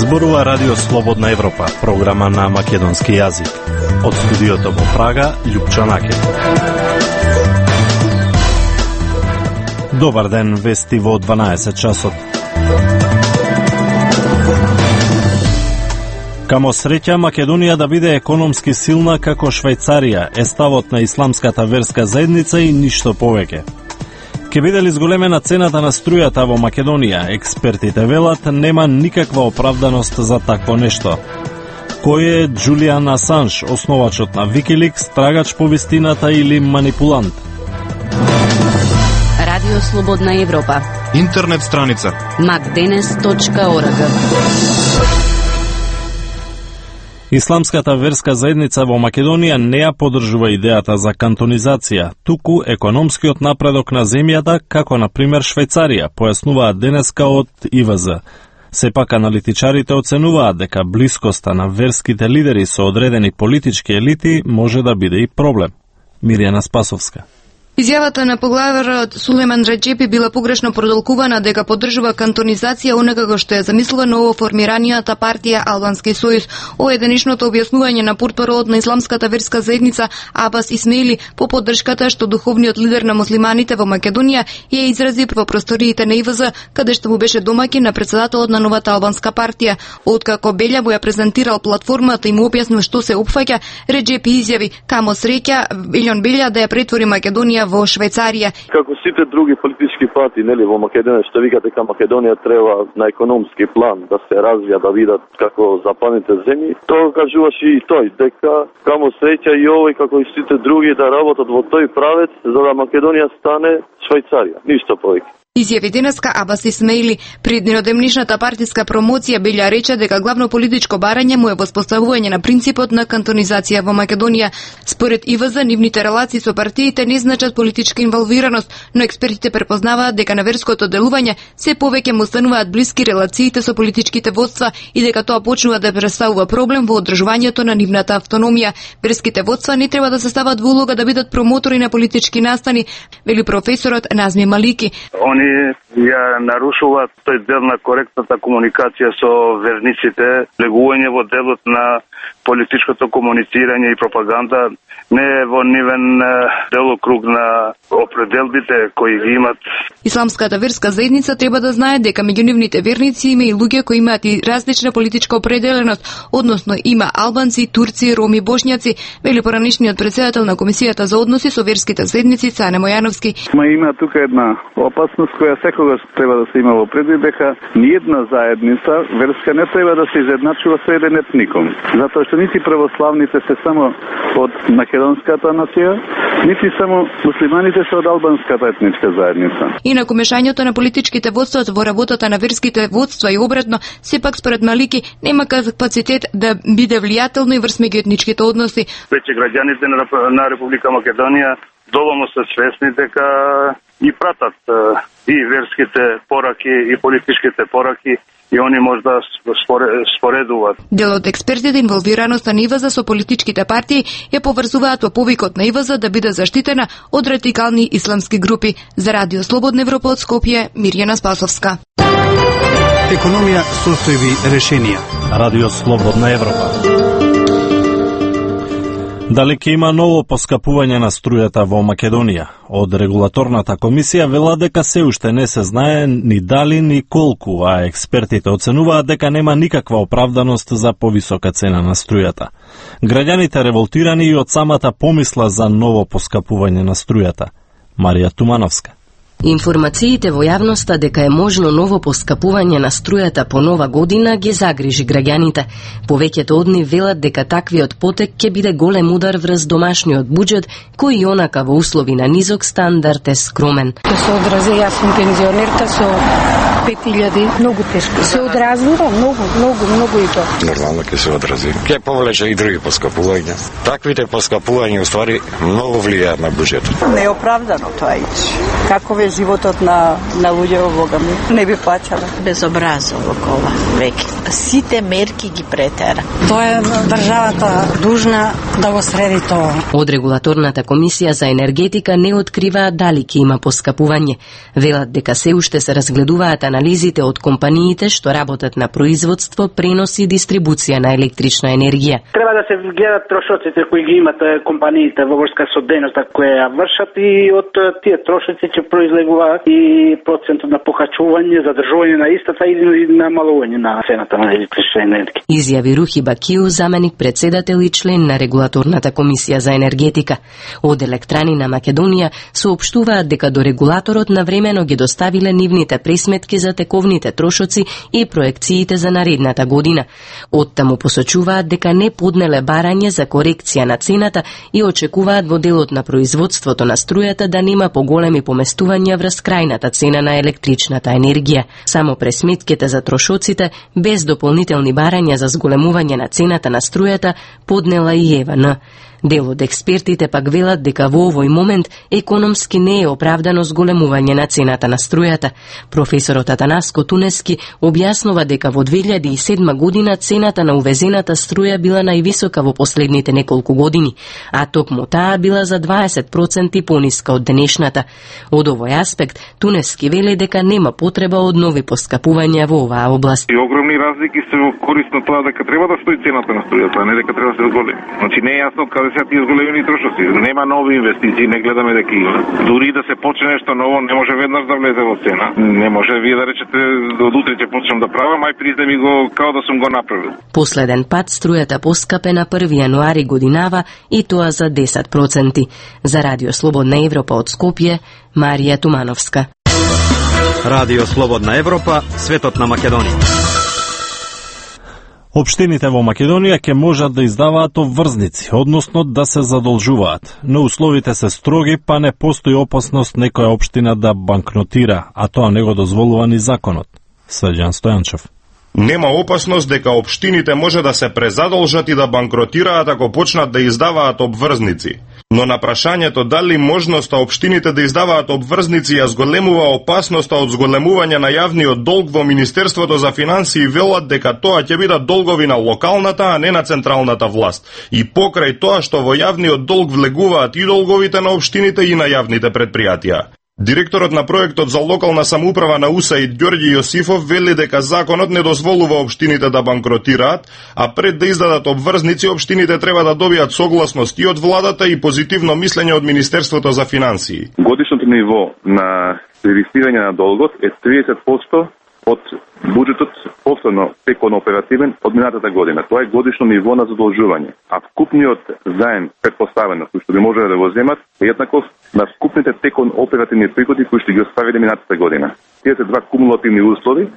Зборува Радио Слободна Европа, програма на македонски јазик. Од студиото во Прага, Љупчо Накет. Добар ден, вести во 12 часот. Камо среќа Македонија да биде економски силна како Швајцарија е ставот на исламската верска заедница и ништо повеќе. Ке биде ли зголемена цената на струјата во Македонија, експертите велат нема никаква оправданост за такво нешто. Кој е Џулијан Асанж, основачот на Wikileaks, трагач по вистината или манипулант? Радио Слободна Европа. Интернет страница macdenes.org. Исламската верска заедница во Македонија не ја поддржува идејата за кантонизација, туку економскиот напредок на земјата, како на пример Швајцарија, појаснуваат денеска од ИВЗ. Сепак аналитичарите оценуваат дека блискоста на верските лидери со одредени политички елити може да биде и проблем. Мирјана Спасовска. Изјавата на поглаварот Сулејман Реџепи била погрешно продолкувана дека поддржува кантонизација онакако што ја замислува новоформиранијата партија Албански сојуз. Ова е денешното објаснување на портпаролот на исламската верска заедница Абас Исмеили по поддршката што духовниот лидер на муслиманите во Македонија ја изрази во просториите на ИВЗ, каде што му беше домаќин на председателот на новата албанска партија. Откако Белјаво ја презентирал платформата и му објаснил што се опфаќа, Реџепи изјави: "Камо среќа Илјон Белја да ја претвори Македонија во Швајцарија." Како сите други политички партии, нели, во Македонија, што викате дека Македонија треба на економски план да се развија, да видат како западните земји, тоа кажуваше и тој, дека камо среќа и овој како и сите други да работат во тој правец за да Македонија стане Швајцарија, ништо повеќе. Изјави денеска Абас Исмеили. При денодемнишната партиска промоција Белја рече дека главно политичко барање му е воспоставување на принципот на кантонизација во Македонија. Според ИВЗ, нивните релации со партиите не значат политичка инволвираност, но експертите препознаваат дека на верското делување се повеќе му стануваат блиски релациите со политичките водства и дека тоа почнува да представува проблем во одржувањето на нивната автономија. Верските водства не треба да се стават во улога да бидат промотори на политички настани, вели професорот Назми Малики. Они ја нарушуваат тој дел на коректната комуникација со верниците, легување во делот на политичкото комуницирање и пропаганда, не е во нивен делокруг на определбите кои ги имат. Исламската верска заедница треба да знае дека меѓу нивните верници има и луѓе кои имаат и различна политичка определеност, односно има албанци, турци, роми, бошњаци, вели поранишниот председател на Комисијата за односи со верските заедници Цане Мојановски. Има тука една опасност која секогаш треба да се има во предвид, дека ниедна заедница верска не треба да се изедначува со еден етникум, затоа што нити православните се само од македонската нација, нити само муслиманите се од албанската етничка заедница. Инаку мешањето на политичките водства во работата на верските водства и обратно, сепак според Малики нема капацитет да биде влијателно и врз меѓуетничките односи. Веќе граѓаните на Република Македонија доволно се свесни дека и пратат и верските пораки и политичките пораки и они може да споредуваат. Дел од експертите инволвираноста на ИВЗ со политичките партии ја поврзуваат во повикот на ИВЗ да биде заштитена од радикални исламски групи. За Радио Слободна Европа од Скопје, Мирјана Спасовска. Економија, состојби, решенија. Радио Слободна Европа. Дали ќе има ново поскапување на струјата во Македонија? Од регулаторната комисија вела дека се уште не се знае ни дали ни колку, а експертите оценуваат дека нема никаква оправданост за повисока цена на струјата. Граѓаните револтирани и од самата помисла за ново поскапување на струјата. Марија Тумановска. Информациите во јавноста дека е можно ново поскапување на струјата по нова година ги загрижи граѓаните. Повеќето од нив велат дека таквиот потек ќе биде голем удар врз домашниот буџет, кој и онака во услови на низок стандард е скромен. Ќе се одрази, јас сум пензионерка со 5000, многу тешко. Се одразува многу и тоа. Нормално ќе се одрази. Ќе повлече и други поскапувања. Таквите поскапувања уствари многу влијаат на буџетот. Неоправдано тоа иде. Каков е животот на луѓе во Бога ми? Не би плаќала. Безобразово кола, веќе. сите мерки ги претера. Тоа е државата дужна да го среди тоа. Од регулаторната комисија за енергетика не откриваат дали ќе има поскапување. Велат дека се уште се разгледуваат анализите од компаниите што работат на производство, пренос и дистрибуција на електрична енергија. Треба да се гледат трошоците кои ги имат компаниите во врска со дејноста која ја вршат и од тие трошоци ќе произлегуваат и процентот на покачување, задржување на истата или намалување на цената на електрична енергија. Изјави Рухи Бакиу, заменик председател и член на регулаторната комисија за енергетика. Од Електрани на Македонија соопштуваат дека до регулаторот навремено ги доставиле нивните пресметки за тековните трошоци и проекциите за наредната година. Оттаму посочуваат дека не поднеле барање за корекција на цената и очекуваат во делот на производството на струјата да нема поголеми поместувања врз крајната цена на електричната енергија. Само пресметките за трошоците, без дополнителни барања за зголемување на цената на струјата, поднела и ЕВН. Дел од експертите пак велат дека во овој момент економски не е оправдано зголемување на цената на струјата. Професорот Атанаско Тунески објаснува дека во 2007 година цената на увезената струја била највисока во последните неколку години, а токму таа била за 20% пониска од денешната. Од овој аспект, Тунески вели дека нема потреба од нови поскапувања во оваа област. И огромни разлики се во корист на тоа дека треба да стои цената на струјата, а не дека треба да се зголеми. Значи не е јасно каде се тие зголемени трошоци. Нема нови инвестиции, не гледаме дека има. Дури да се почне нешто ново, не може веднаш да влезе во цена. Не може вие да речете од утре ќе почнам да правам, ај признам го као да сум го направил. Последен пат струјата поскапе на 1 јануари годинава и тоа за 10%. За Радио Слободна Европа од Скопје, Марија Тумановска. Радио Слободна Европа, светот на Македонија. Општините во Македонија ќе можат да издаваат обврзници, односно да се задолжуваат, но условите се строги, па не постои опасност некоја општина да банкротира, а тоа не го дозволува ни законот. Срđan Стојанчев. Нема опасност дека општините може да се презадолжат и да банкротираат ако почнат да издаваат обврзници. Но на прашањето дали можноста општините да издаваат обврзници ја зголемува опасноста од зголемување на јавниот долг во Министерството за финансии, велат дека тоа ќе бидат долгови на локалната, а не на централната власт. И покрај тоа што во јавниот долг влегуваат и долговите на општините и на јавните предпријатија. Директорот на проектот за локална самоуправа на УСАИД Ѓорѓи Јосифов вели дека законот не дозволува општините да банкротираат, а пред да издадат обврзници општините треба да добијат согласност и од владата и позитивно мислење од Министерството за финансии. Годишното ниво на сервисирање на долгот е 30% од буџетот последно текон оперативен од минатата година. Тоа е годишно ниво на задолжување. А вкупниот заем претпоставено кој што би можеле да го земат е еднаков на вкупните текон оперативни приходи кои што ги оставиле минатата година. Тие се два кумулативни услови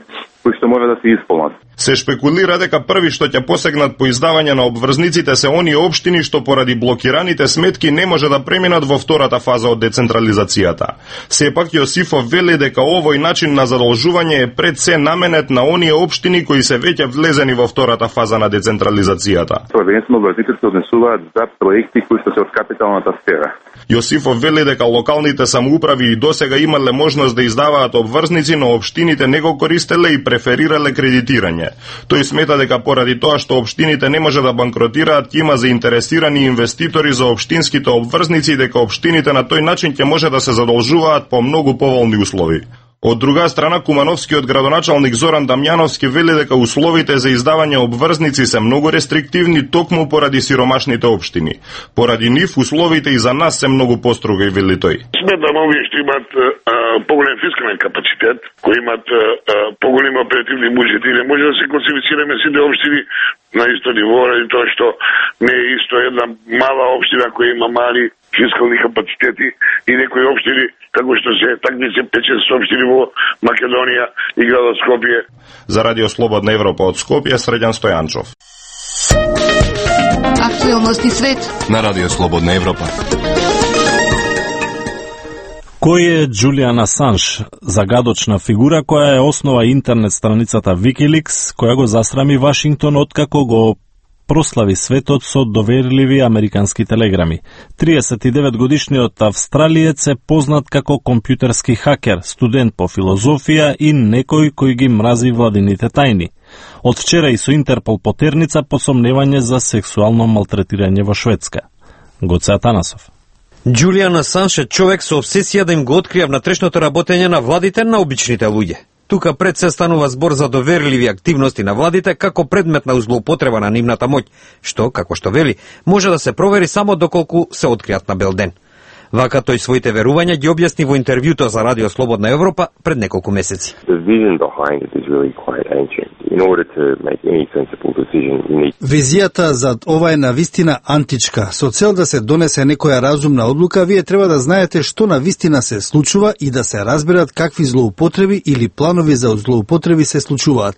кои што мора да се исполнат. Се шпекулира дека први што ќе посегнат по издавање на обврзниците се оние општини што поради блокираните сметки не може да преминат во втората фаза од децентрализацијата. Сепак Јосифов вели дека овој начин на задолжување е пред се наменет на оние општини кои се веќе влезени во втората фаза на децентрализацијата. Prvenstveno обврзниците се однесуваат за проекти кои што се од капиталната сфера. Јосифов вели дека локалните самоуправи и досега имале можност да издаваат обврзници, но општините не го користеле и преферирале кредитирање. Тој смета дека поради тоа што општините не може да банкротираат, ќе има заинтересирани инвеститори за општинските обврзници и дека општините на тој начин ќе може да се задолжуваат по многу поволни услови. Од друга страна, кумановскиот градоначалник Зоран Дамјановски вели дека условите за издавање обврзници се многу рестриктивни токму поради сиромашните општини. Поради нив условите и за нас се многу построги, вели тој. Сметам овие што имат поголем фискален капацитет, кои имат поголеми оперативни буџети, не може да се класифицираме сите општини на исто ниво, ради тоа што не е исто една мала општина која има мали фискални капацитети и некои општини како што се такмице 5-6 општини во Македонија и градот Скопје. За Радио Слободна Европа од Скопје, Срđan Стојанчов. Актуелности свет на Радио Слободна Европа. Кој е Џулијан Асанж, загадочна фигура која е основа интернет страницата Wikileaks, која го засрами Вашингтон откако го прослави светот со доверливи американски телеграми. 39-годишниот австралиец е познат како компјутерски хакер, студент по филозофија и некој кој ги мрази владините тајни. Од вчера и со Интерпол потерница по сомневање за сексуално малтретирање во Шведска. Гоце Атанасов. Џулијан Асанж е човек со обсесија да им го открија внатрешното работење на владите на обичните луѓе. Тука пред се станува збор за доверливи активности на владите како предмет на злоупотреба на нивната моќ, што, како што вели, може да се провери само доколку се откријат на бел ден. Вака тој своите верувања ги објасни во интервјуто за Радио Слободна Европа пред неколку месеци. Визијата зад ова е навистина античка. Со цел да се донесе некоја разумна одлука, вие треба да знаете што навистина се случува и да се разберат какви злоупотреби или планови за злоупотреби се случуваат.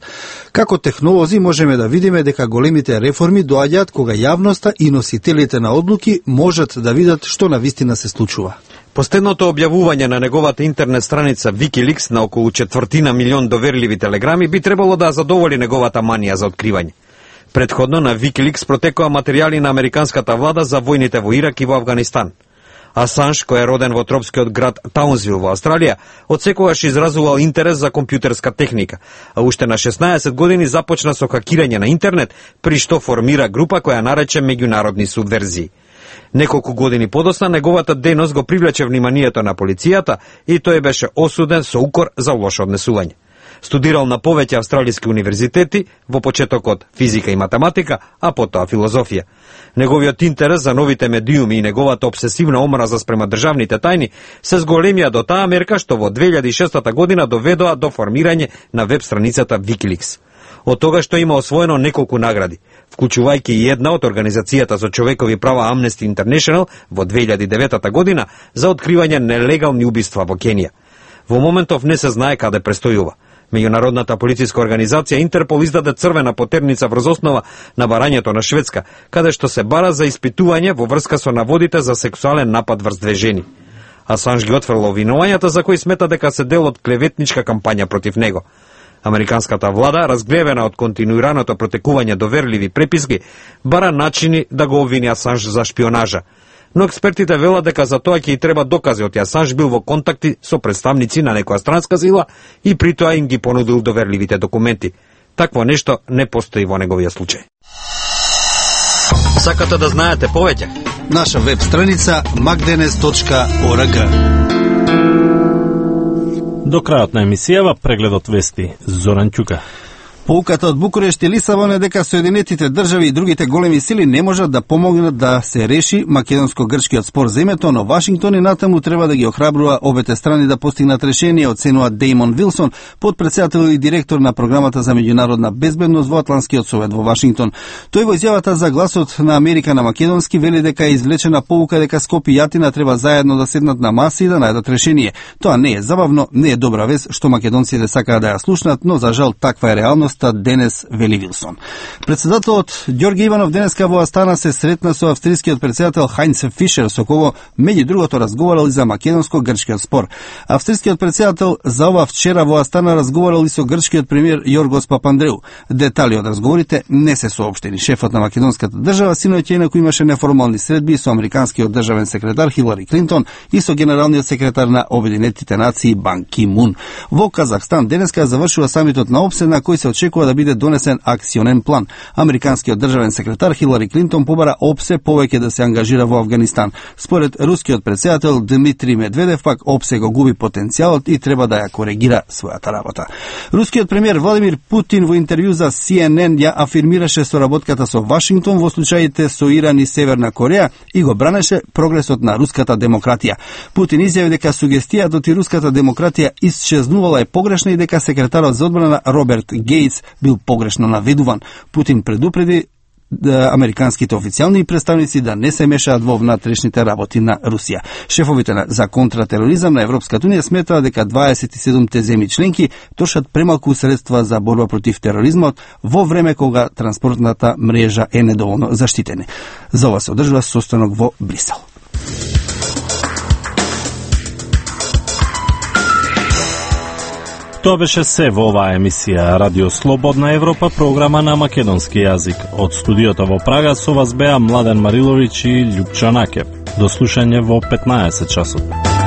Како технолози можеме да видиме дека големите реформи доаѓаат кога јавноста и носителите на одлуки можат да видат што навистина се случува. Последното објавување на неговата интернет страница Wikileaks на околу 250.000 доверливи телеграми би требало да задоволи неговата манија за откривање. Предходно на Wikileaks протекоа материјали на американската влада за војните во Ирак и во Авганистан. Асанж, кој е роден во тропскиот град Таунсвил во Австралија, одсекогаш изразувал интерес за компјутерска техника, а уште на 16 години започна со хакирање на интернет, при што формира група која нарече меѓународни субверзии. Неколку години подосна неговата дејност го привлече вниманието на полицијата и тој беше осуден со укор за лошо однесување. Студирал на повеќе австралиски универзитети, во почетокот физика и математика, а потоа филозофија. Неговиот интерес за новите медиуми и неговата обсесивна омраза спрема државните тајни се зголемија до таа мерка што во 2006 година доведоа до формирање на веб страницата Wikileaks. Од тогаш што има освоено неколку награди, вклучувајќи и една од Организацијата за човекови права Amnesty International во 2009 година за откривање нелегални убиства во Кенија. Во моментов не се знае каде престојува. Меѓународната полициска организација Интерпол издаде црвена потерница врз основа на барањето на Шведска, каде што се бара за испитување во врска со наводите за сексуален напад врз две жени. Асанж ги отфрла обвинувањата за кои смета дека се дел од клеветничка кампања против него. Американската влада, разгневена од континуираното протекување доверливи преписки, бара начини да го обвини Асанж за шпионажа. Но експертите велат дека за тоа ќе и треба докази од Асанж бил во контакти со представници на некоја странска сила и при тоа им ги понудил доверливите документи. Такво нешто не постои во неговиот случај. Сакате да знаете повеќе? Наша веб страница magdenes.org. До крајот на емисијава прегледот вести Зоран Ќука. Поуката од Букурешт и Лисабон е дека Соединетите држави и другите големи сили не можат да помогнат да се реши македонско-грчкиот спор за името, но Вашингтон и натаму треба да ги охрабрува обете страни да постигнат решение, оценува Дејмон Вилсон, подпредседател и директор на програмата за меѓународна безбедност во Атлантскиот совет во Вашингтон. Тој во изјавата за гласот на Америка на македонски вели дека е извлечена поука дека Скопје и Атина треба заедно да седнат на маса и да најдат решение. Тоа не е забавно, не е добра вест што македонците сакаат да ја слушнат, но за жал таква е реалност денес, вели Вилсон. Председателот Ѓорги Иванов денеска во Астана се сретна со австрискиот председател Хајнц Фишер, со кого меѓу другото разговарал и за македонско-грчкиот спор. Австрискиот председател за ова вчера во Астана разговарал и со грчкиот премиер Јоргос Папандреу. Детали од разговорите не се соопштени. Шефот на македонската држава синоќа инаку имаше неформални средби со американскиот државен секретар Хилари Клинтон и со генералниот секретар на Обединетите нации Бан Ки Мун. Во Казахстан денеска завршува самитот на ОПСЕ на кој се очекува да биде донесен акционен план. Американскиот државен секретар Хилари Клинтон побара ОПСЕ повеќе да се ангажира во Авганистан. Според рускиот председател Дмитрий Медведев пак ОПСЕ го губи потенцијалот и треба да ја коригира својата работа. Рускиот премиер Владимир Путин во интервју за CNN ја афирмираше соработката со Вашингтон во случаите со Иран и Северна Кореја и го бранеше прогресот на руската демократија. Путин изјави дека сугестијата од руската демократија исчезнувала е погрешна и дека секретарот за одбрана Роберт Гейтс бил погрешно наведуван. Путин предупреди американските официјални представници да не се мешаат во внатрешните работи на Русија. Шефовите за контратероризам на Европската унија сметаат дека 27 земји членки трошат премалку средства за борба против тероризмот во време кога транспортната мрежа е недоволно заштитена. За ова се одржува состанок во Брисел. Тоа беше се во оваа емисија Радио Слободна Европа, програма на македонски јазик. Од студиото во Прага со вас беа Младен Мариловиќ и Љупчо Накев. До слушање во 15 часот.